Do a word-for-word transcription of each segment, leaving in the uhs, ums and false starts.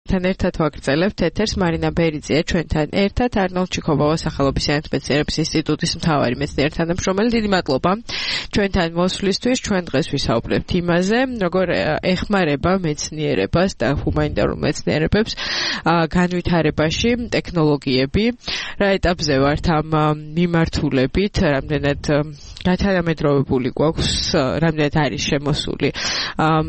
თან ერთად ვაგრძელებთ ეთერს მარინა ბერიძეა ჩვენთან ერთად არნოლდ ჩიქობავას სახელობის საერთაშორისო ინსტიტუტის მთავარი მეცნიერ თანამშრომელი. დიდი მადლობა ჩვენთან მოსვლისთვის. ჩვენ დღეს ვისაუბრებთ იმაზე, როგორ ეხმარება მეცნიერებას და ჰუმანიტარულ მეცნიერებებს განვითარებაში ტექნოლოგიები. რა ეტაპზე ვართ ამ მიმართულებით, რამდენად გათანამედროვებული გვაქვს, რამდენად არის შემოსული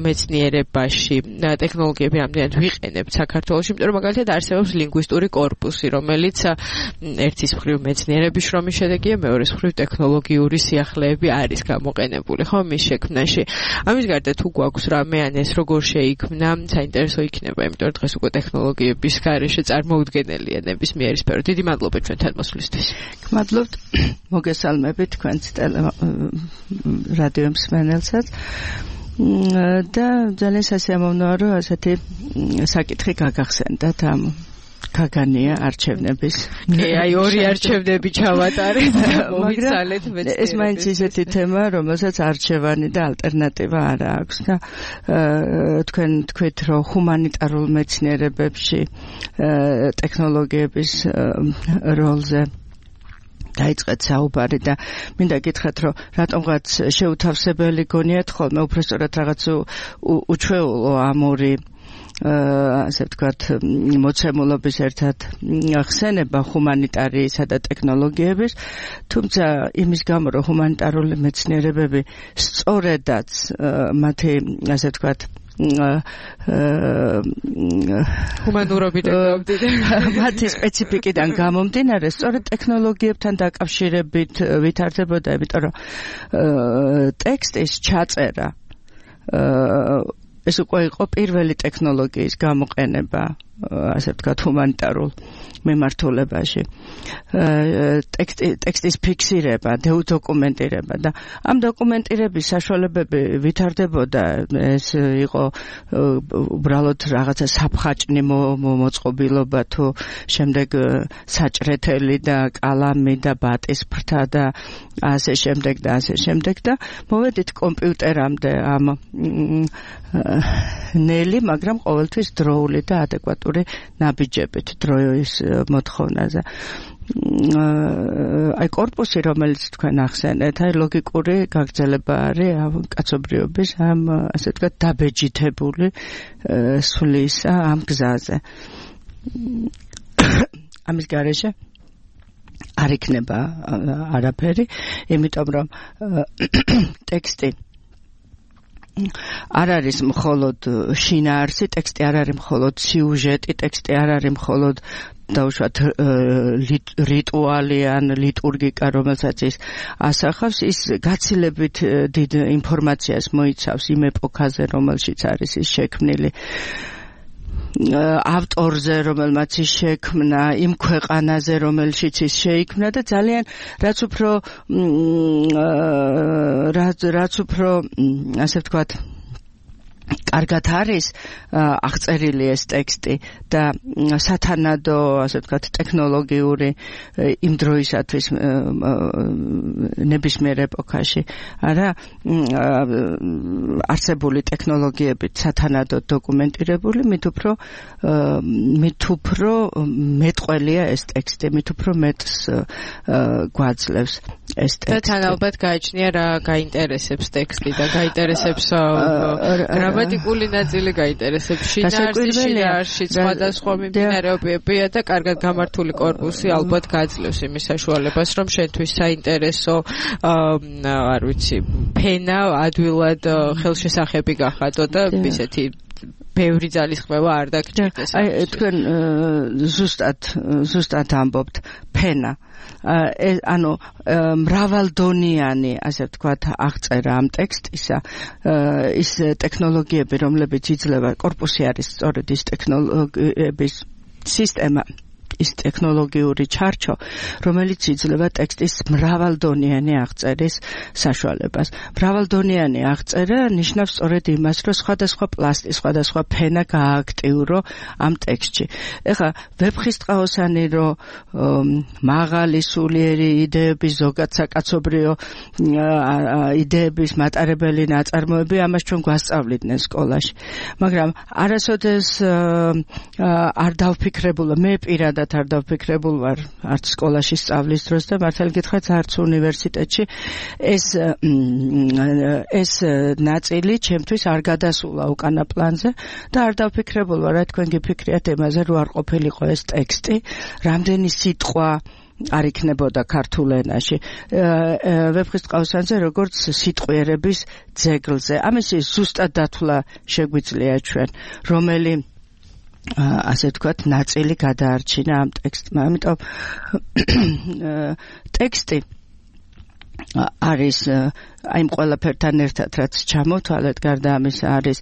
მეცნიერებაში ტექნოლოგიები, რამდენად ვიყენებთ საქართველოში, იმიტომ რომ მაგალითად არსებობს ლინგვისტური კორპუსი, რომელიც ერთის მხრივ მეცნიერების შრომის შედეგია, მეორეს მხრივ ტექნოლოგიური სიახლეები არის გამოყენებული, ხო, მის შექმნაში. ამის გარდა თუ გვაქვს რამე ან ეს როგორ შეიქმნა, საინტერესო იქნება, იმიტომ რომ დღეს უკვე ტექნოლოგიების გარეშე წარმოუდგენელია ნებისმიერი სფერო. დიდი მადლობა ჩვენთან მოსვლისთვის. გმადლობთ, მოგესალმებით თქვენს რადიო მსმენელსაც. და ძალიან სასიამოვნოა, რომ ასეთი საკითხი გაგახსენდათ ამ გაგანია არჩევნების. კი, აი ორი არჩევნები ჩავატარეთ, მოვიცალეთ მეცნიერებს. ეს მაინც ისეთი თემა, რომელსაც არჩევანი და ალტერნატივა არ აქვს და თქვენ თქვით, რომ ჰუმანიტარულ მეცნიერებებში ტექნოლოგიების როლზე დაიწყეთ საუბარი და მინდა გითხრათ, რომ რატომღაც შეუთავსებელი გონიათ ხოლმე უბრალოდ რაღაც უჩვეულო ამ ორი ასე ვთქვათ მოცემულობის ერთად ხსენება ჰუმანიტარიისა და ტექნოლოგიების, თუმცა იმის გამო, რომ ჰუმანიტარული მეცნიერებები სწორედაც მათი ასე ვთქვათ ჰუმანურობიდან გამომდინარე, მათი სპეციფიკიდან გამომდინარე, სწორედ ტექნოლოგიებთან დაკავშირებით ვითარდებოდა, იმიტომ რომ ტექსტის ჩაწერა ეს უკვე იყო პირველი ტექნოლოგიის გამოყენება, ასე ვთქვათ, ჰუმანიტარულ მიმართულებაში. ტექსტის ფიქსირება, დოკუმენტირება და ამ დოკუმენტირების საშუალებები ვითარდებოდა, ეს იყო უბრალოდ რაღაცა საფხაჭნი მოწყობილობა თუ შემდეგ საჭრეთელი და კალამი და ბატის ფრთა და ასე შემდეგ და ასე შემდეგ და მოვედით კომპიუტერამდე ამ ნელი, მაგრამ ყოველთვის დროული და ადეკვატური ნაბიჯებით დროის მოთხოვნაზე. აი კორპუსი, რომელიც თქვენ ახსენეთ, აი ლოგიკური გაგრძელება არის კაცობრიობის ამ ასე ვთქვათ დაბეჯითებული სვლისა ამ გზაზე. ამის გარეშე არ იქნება არაფერი, იმიტომ რომ ტექსტი არ არის მხოლოდ შინაარსი, ტექსტი არ არის მხოლოდ სიუჟეტი, ტექსტი არ არის მხოლოდ დაუშვათ რიტუალი ან ლიტურგიკა, რომელსაც ის ასახავს, ის გაცილებით დიდ ინფორმაციას მოიცავს იმ ეპოქაზე, რომელშიც არის ის შექმნილი, ავტორზე, რომელმაც ის შექმნა, იმ ქვეყანაზე, რომელშიც ის შეიქმნა და ძალიან რაც უფრო რაც უფრო ასე ვთქვათ კარგად არის აღწერილი ეს ტექსტი და სათანადო, ასე ვთქვათ, ტექნოლოგიური იმ დროისათვის ნებისმიერ ეპოქაში, არა არსებული ტექნოლოგიებით სათანადო დოკუმენტირებული, მით უფრო მით უფრო მეტყველია ეს ტექსტი, მით უფრო მეტს გვაძლევს ეს ტექსტი. და თან ალბათ გაიჩნია რა გაინტერესებს ტექსტი და გაინტერესებს გრამატიკული ნაწილი გაინტერესებს, შინაარსი, შინაარსი, სხვადასხვა მიმდინარეობებია და კარგად გამართული კორპუსი ალბათ გაძლევს იმის საშუალებას, რომ შენთვის საინტერესო, არ ვიცი, ფენა ადვილად ხელშესახები გახადო და ისეთი ბევრი ძალისხმევა არ დაგჭირდეს. აი თქვენ ზუსტად ზუსტად ამბობთ ფენა. ანუ მრავალდონიანი, ასე ვთქვათ, აღწერა ამ ტექსტისა, ის ტექნოლოგიები, რომლებიც იძლევა, კორპუსი არის სწორედ ის ტექნოლოგიების სისტემა, ის ტექნოლოგიური ჩარჩო, რომელიც იძლევა ტექსტის მრავალდონიანი აღწერის საშუალებას. მრავალდონიანი აღწერა ნიშნავს სწორედ იმას, რომ სხვადასხვა პლასტი, სხვადასხვა ფენა გაააქტიურო ამ ტექსტში. ეხლა ვეფხისტყაოსანი რომ მაღალი სულიერი იდეების ზოგად საკაცობრიო იდეების მატარებელი ნაწარმოები ამას ჩვენ გვასწავლიდნენ სკოლაში. მაგრამ არასოდეს არ დავფიქრებულა, მე პირადად არ დავფიქრებულ ვარ არც სკოლაში სწავლის დროს და მართალი გითხრათ არც უნივერსიტეტში ეს ეს ნაწილი ჩემთვის არ გადასულა უკანა პლანზე და არ დავფიქრებულ ვარ, რა თქვენ გიფიქრიათ იმაზე, რომ არ ყოფილიყო ეს ტექსტი, რამდენი სიტყვა არ იქნებოდა ქართულ ენაში. ვეფხისტყაოსანზე როგორც სიტყვიერების ძეგლზე. ამის ზუსტად დათვლა შეგვიძლია ჩვენ, რომელი ასე ვთქვათ, ნაწილი გადაარჩინა ამ ტექსტმა. ამიტომ ტექსტი არის აი იმ ყველაფერთან ერთად, რაც ჩამოთვალეთ, გარდა ამისა არის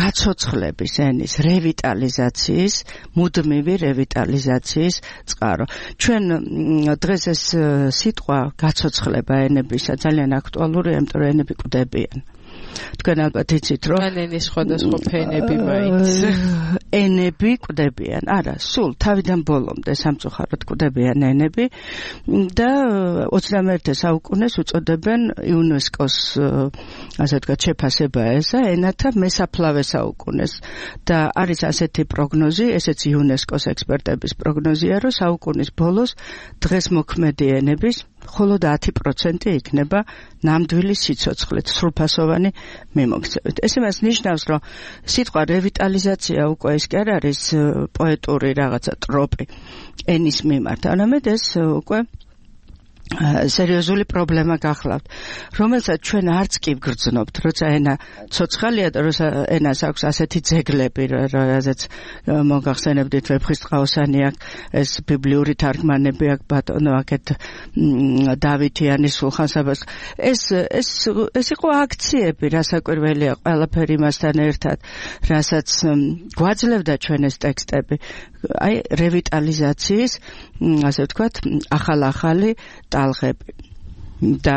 გაცოცხლების ენის რევიტალიზაციის, მუდმივი რევიტალიზაციის წყარო. ჩვენ დღეს ეს სიტყვა გაცოცხლება ენებისა ძალიან აქტუალურია, იმიტომ რომ ენები კვდებიან. თქვენ ალბათ იცით, რომ ენის სხვადასხვა ფენები მაინც ენები კვდებიან. არა, სულ თავიდან ბოლომდე სამწუხაროდ კვდებიან ენები და ოცდამეერთე საუკუნეს უწოდებენ იუნესკოს ასე ვთქვათ შეფასება ესა ენათა მესაფლავე საუკუნეს და არის ასეთი პროგნოზი, ესეც იუნესკოს ექსპერტების პროგნოზია, რომ საუკუნის ბოლოს დღეს მოქმედი ენების მხოლოდ ათი პროცენტი იქნება ნამდვილი სიცოცხლით, სრულფასოვანი მიმოქცევით. ეს იმას ნიშნავს, რომ სიტყვა რევიტალიზაცია უკვე ის კი არ არის პოეტური რაღაცა ტროპი ენის მიმართ, არამედ ეს უკვე სერიოზული პრობლემა გახლავთ, რომელსაც ჩვენ არც კი ვგრძნობთ, როცა ენა ცოცხალია და როცა ენას აქვს ასეთი ძეგლები, რაზეც მოგახსენებდით ვეფხისტყაოსანი აქვს, ეს ბიბლიური თარგმანები აქვს, ბატონო აქეთ დავითიანის სულხან-საბას. ეს ეს ეს იყო აქციები, რასაკვირველია ყველაფერი იმასთან ერთად, რასაც გვაძლევდა ჩვენ ეს ტექსტები, აი რევიტალიზაციის, ასე ვთქვათ, ახალ-ახალი ტალღები და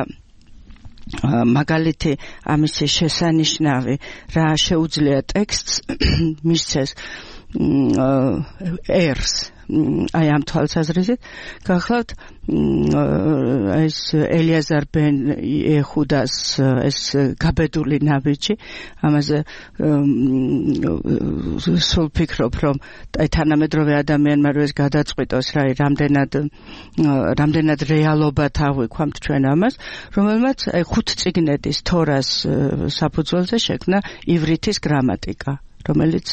მაგალითი ამის შესანიშნავი რა შეუძლია ტექსტს მისცეს ერს აი ამ თვალსაზრისით გახლავთ ეს ელიაზარ ბენ იეხუდას ეს გაბედული ნაბიჯი ამაზე სულ ფიქრობ რომ აი თანამედროვე ადამიანმა რო ეს გადაწყვიტოს რა რამდენად რამდენად რეალობად ავიქვამთ ჩვენ ამას რომელმაც აი ხუთ წიგნეთის თორას საფუძველზე შექმნა ივრითის გრამატიკა რომელიც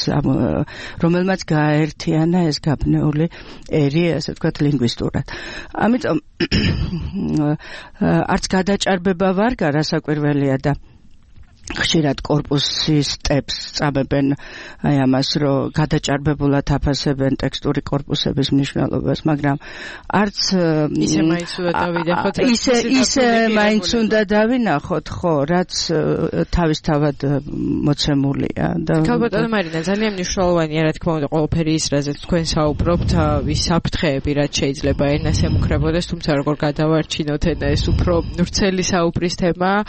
რომელმაც გააერთიანა ეს გაბნეული ერი, ასე ვთქვათ, ლინგვისტურად. ამიტომ არც გადაჭარბება ვარ, რასაკვირველია და ხშირად კორპუსის ტეპს წამებენ აი ამას, რომ გადაჭარბებულად აფასებენ ტექსტური კორპუსების მნიშვნელობას, მაგრამ არც ისე მაინც უნდა დავინახოთ, ისე ისე მაინც უნდა დავინახოთ, ხო, რაც თავისთავად მოცემულია და ქალბატონო მარინა, ძალიან მნიშვნელოვანია, რა თქმა უნდა, ყველაფერი ის, რაზეც თქვენ საუბრობთ, ის საფრთხეები, რაც შეიძლება ენას ემუქრებოდეს, თუმცა როგორ გადავარჩინოთ ენა, ეს უფრო ვრცელი საუბრის თემაა.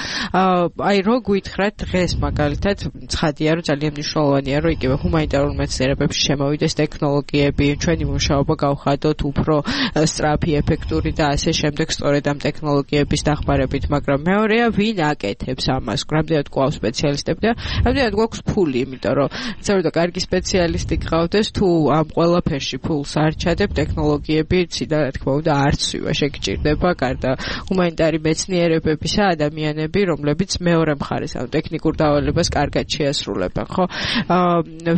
აი რო გვითხრა დღეს მაგალითად ცხადია რომ ძალიან მნიშვნელოვანია რომ იგივე ჰუმანიტარულ მეცნიერებებში შემოვიდეს ტექნოლოგიები, ჩვენი მუშაობა გავხადოთ უფრო სწრაფი, ეფექტური და ასე შემდეგ სწორედ ამ ტექნოლოგიების დახმარებით, მაგრამ მეორეა ვინ აკეთებს ამას, რამდენად გვაქვს სპეციალისტები და რამდენად გვაქვს ფული, იმიტომ რომ ცოტა კარგი სპეციალისტი გყავდეს თუ ამ ყველაფერში ფულს არ ჩადებ, ტექნოლოგიები ციდან რა თქმა უნდა არ ცვივა, შეგჭირდება გარდა ჰუმანიტარი მეცნიერებებისა ადამიანები, რომლებიც მეორე მხარეს ამ ტექნიკურ დავალებას კარგად შეასრულებენ, ხო?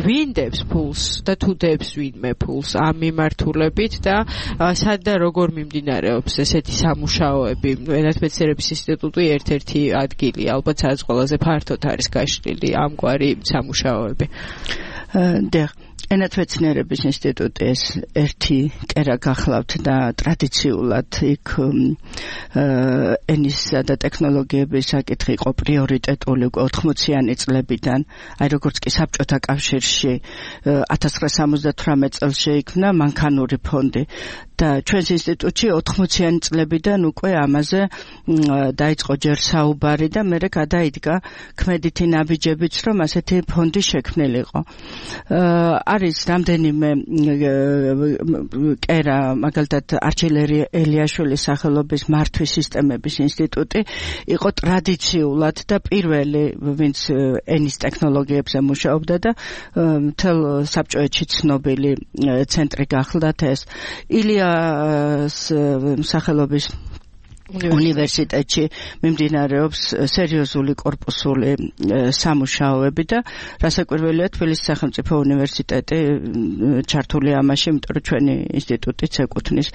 ვინ დებს ფულს და თუ დებს ვინმე ფულს ამ მიმართულებით და სად და როგორ მიმდინარეობს ესეთი სამუშაოები? ენათმეცნიერების ინსტიტუტი ერთ-ერთი ადგილია, ალბათ სადაც ყველაზე ფართოდ არის გაშლილი ამგვარი სამუშაოები. და ენათმეცნიერების ინსტიტუტი ეს ერთი კერა გახლავთ და ტრადიციულად იქ ენისა და ტექნოლოგიების საკითხი იყო პრიორიტეტული უკვე ოთხმოციანი წლებიდან, აი როგორც კი საბჭოთა კავშირში ათას ცხრაასი სამოცდათვრამეტ წელს შეიქმნა მანქანური ფონდი და ჩვენს ინსტიტუტში ოთხმოციანი წლებიდან უკვე ამაზე დაიწყო ჯერ საუბარი და მერე გადაიდგა ქმედითი ნაბიჯებიც, რომ ასეთი ფონდი შექმნილიყო. არის რამდენიმე კერა, მაგალითად არჩილერი ელიაშვილის სახელობის მართვის სისტემების ინსტიტუტი იყო ტრადიციულად და პირველი, ვინც ენის ტექნოლოგიებზე მუშაობდა და მთელ საბჭოეთში ცნობილი ცენტრი გახლდათ ეს. ილიას სახელობის უნივერსიტეტში მიმდინარეობს სერიოზული კორპუსული სამუშაოები და რასაკვირველია თბილისის სახელმწიფო უნივერსიტეტი ჩართული ამაში, იმიტომ რომ ჩვენი ინსტიტუტიც ეკუთვნის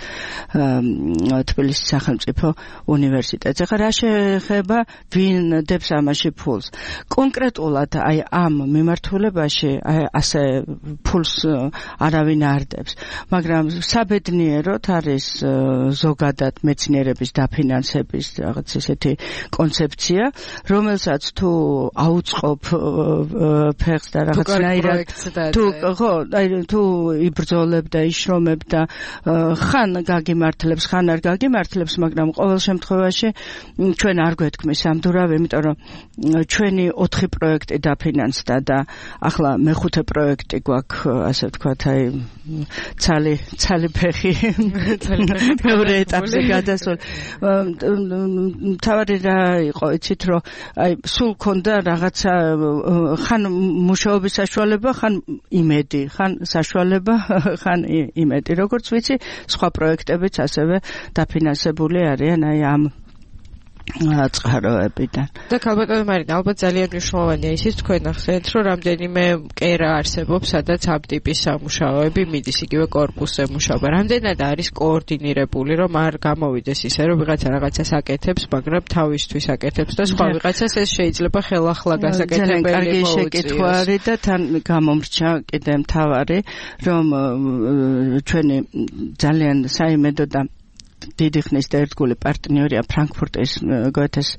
თბილისის სახელმწიფო უნივერსიტეტს. ახლა რა შეეხება ვინ დებს ამაში ფულს? კონკრეტულად აი ამ მიმართულებაში ასე ფულს არავინ არ დებს, მაგრამ საბედნიეროდ არის ზოგადად მეცნიერების დაფინანსების ფინანსების რაღაც ესეთი კონცეფცია, რომელსაც თუ აუწყობ ფეხს და რაღაცნაირად თუ ხო, აი თუ იბრძოლებ და იშრომებ და ხან გაგიმართლებს, ხან არ გაგიმართლებს, მაგრამ ყოველ შემთხვევაში ჩვენ არ გვეთქმის ამდურავი, იმიტომ რომ ჩვენი ოთხი პროექტი დაფინანსდა და ახლა მეხუთე პროექტი გვაქვს, ასე ვთქვათ, აი ცალი ცალი ფეხი მეორე ეტაპზე გადასულ. თავარი რა იყო, იცით რომ აი სულ ქონდა რაღაცა ხან მუშაობის საშუალება, ხან იმედი, ხან საშუალება, ხან იმედი. როგორც ვიცი, სხვა პროექტებიც ასევე დაფინანსებული არიან აი ამ წყაროებიდან. და ქალბატონო მარინა, ალბათ ძალიან მნიშვნელოვანია ისიც თქვენ ახსენეთ, რომ რამდენიმე კერა არსებობს, სადაც ამ ტიპის სამუშაოები მიდის, იგივე კორპუსზე მუშაობა. რამდენად არის კოორდინირებული, რომ არ გამოვიდეს ისე, რომ ვიღაცა რაღაცას აკეთებს, მაგრამ თავისთვის აკეთებს და სხვა ვიღაცას ეს შეიძლება ხელახლა გასაკეთებელი მოუწიოს. კარგი შეკითხვა არის და თან გამომრჩა კიდე მთავარი, რომ ჩვენი ძალიან საიმედო და დიდი ხნის და ერთგული პარტნიორია ფრანკფურტის გოეთეს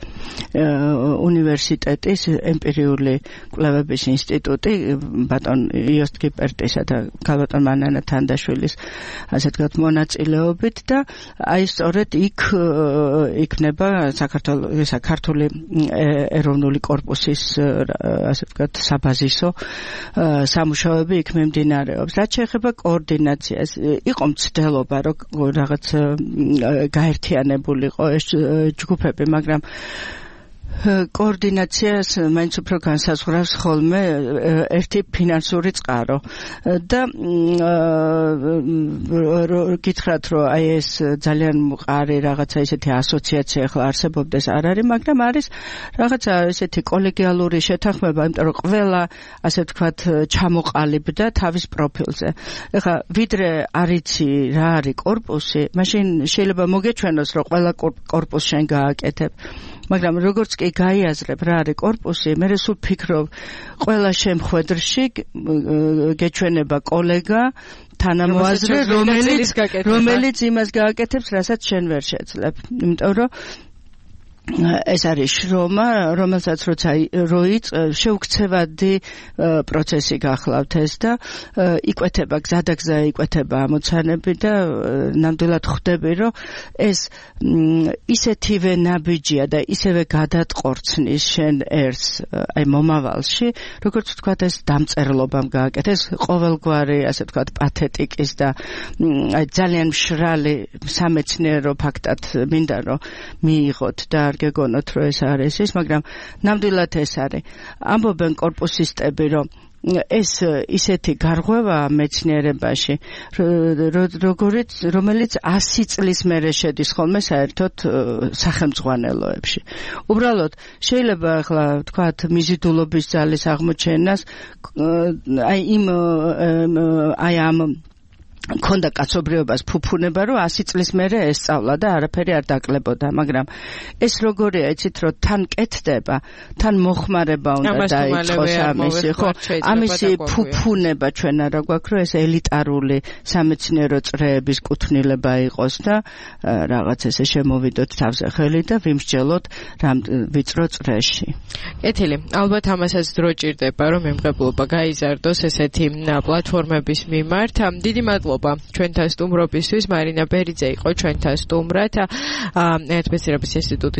უნივერსიტეტის ემპირიული კვლევების ინსტიტუტი ბატონ იოსტ კიპერტისა და ქალბატონ მანანა თანდაშვილის ასე ვთქვათ მონაწილეობით და აი სწორედ იქ იქნება საქართველოს საქართველოს ეროვნული კორპუსის ასე ვთქვათ საბაზისო სამუშაოები იქ მიმდინარეობს. რაც შეეხება კოორდინაციას, იყო მცდელობა რომ რაღაც გაერთიანებულიყო ეს ჯგუფები, მაგრამ კოორდინაციას მაინც უფრო განსაზღვრავს ხოლმე ერთი ფინანსური წყარო და გითხრათ რომ აი ეს ძალიან მყარი რაღაცა ისეთი ასოციაცია ახლა არსებობდეს არ არის, მაგრამ არის რაღაცა ესეთი კოლეგიალური შეთანხმება, იმიტომ რომ ყველა ასე ვთქვათ ჩამოყალიბდა თავის პროფილზე. ეხლა ვიდრე არიცი რა არის კორპუსი, მაშინ შეიძლება მოგეჩვენოს რომ ყველა კორპუსს შენ გააკეთებ, მაგრამ როგორც კი გაიაზრებ რა არის კორპუსი, მე სულ ფიქრობ ყველა შემხვედრში გეჩვენება კოლეგა თანამოაზრე, რომელიც რომელიც იმას გააკეთებს, რასაც შენ ვერ შეძლებ. იმიტომ რომ ეს არის შრომა, რომელსაც როცა როიც შეუქცევადი პროცესი გახლავთ ეს და იკვეთება გზადაგზა იკვეთება ამოცანები და ნამდვილად ხვდები რომ ეს ისეთივე ნაბიჯია და ისევე გადატყორცნის შენ ერთს აი მომავალში, როგორც ვთქვათ ეს დამწერლობამ გააკეთეს ყოველგვარი ასე ვთქვათ პათეტიკის და აი ძალიან მშრალი სამეცნიერო ფაქტად მინდა რომ მიიღოთ და გეგონოთ რომ ეს არის ის, მაგრამ ნამდვილად ეს არის. ამბობენ კორპუსისტები რომ ეს ისეთი გარღვევა მეცნიერებაში, როგორც რომელიც ასი წლის მერე შედის ხოლმე საერთოდ სახელმძღვანელოებში. უბრალოდ შეიძლება ახლა ვთქვათ მიზიდულობის ძალის აღმოჩენას აი იმ აი ამ ქონდა კაცობრიობას ფუფუნება, რომ ასი წლის მერე ესწავლა და არაფერი არ დაკლებოდა, მაგრამ ეს როგორია, იცით, რომ თან კეთდება, თან მოხმარება უნდა დაიწყოს ამისი, ხო? ამისი ფუფუნება ჩვენ არა გვაქვს, რომ ეს ელიტარული სამეცნიერო წრეების კუთვნილება იყოს და რაღაც ესე შემოვიდოთ თავზე ხელი და ვიმსჯელოთ რამ ვიწრო წრეში. კეთილი, ალბათ ამასაც დრო ჭირდება, რომ მემღებლობა გაიზარდოს ესეთი პლატფორმების მიმართ. დიდი მადლობა ჩვენთან სტუმრობისთვის. მარინა ბერიძე იყო ჩვენთან სტუმრად. ერთბეწირების ინსტიტუტის